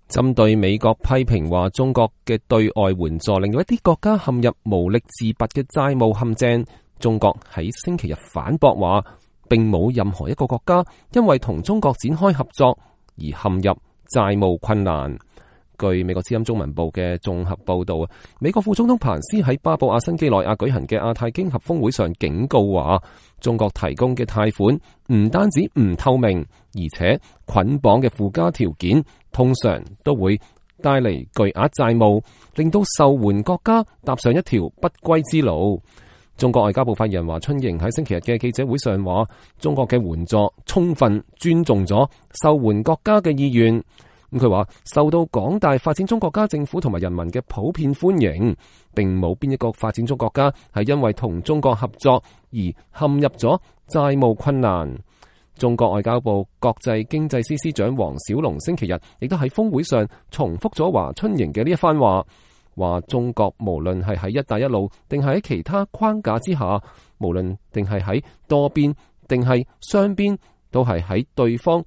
針對美國批評話中國嘅對外援助令到一啲國家陷入無力自拔嘅債務陷阱，中國喺星期日反駁話，並冇任何一個國家因為同中國展開合作而陷入債務困難。據美國之音中文部嘅綜合報道，美國副總統彭斯喺巴布亞新幾內亞舉行嘅亞太經合峰會上警告話，中國提供嘅貸款唔單止唔透明，而且捆綁嘅附加條件通常都會帶嚟巨額債務，令到受援國家踏上一條不歸之路。中國外交部發言人華春瑩喺星期日嘅記者會上話，中國嘅援助充分尊重咗受援國家嘅意願。佢話受到廣大發展中國家政府同埋人民嘅普遍歡迎，並冇邊一個發展中國家係因為同中國合作而陷入咗債務困難。中國外交部國際經濟司司長王小龍星期日亦都喺峰會上重複咗華春瑩嘅呢一番話，話中國無論係喺一帶一路定係喺其他框架之下，無論定係喺多邊定係雙邊，都係喺對方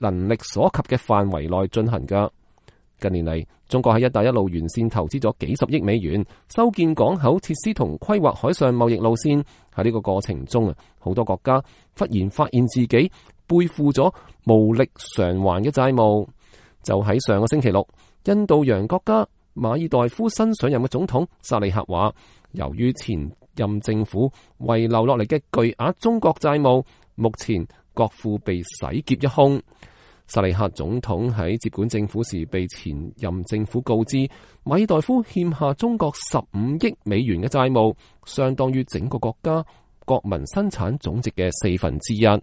能力所及嘅範圍內進行㗎。近年嚟，中國喺一帶一路沿線投資咗幾十億美元，修建港口設施同規劃海上貿易路線。喺呢個過程中好多國家忽然發現自己背負咗無力償還嘅債務。就喺上個星期六，印度洋國家馬爾代夫新上任嘅總統薩利赫話，由於前任政府遺留落嚟嘅巨額中國債務，目前國庫被洗劫一空。薩利赫總統喺接管政府時被前任政府告知，馬爾代夫欠下中國15億美元嘅債務，相當於整個國家國民生產總值嘅1/4。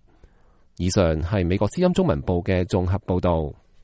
以上係美國之音中文部嘅綜合報道。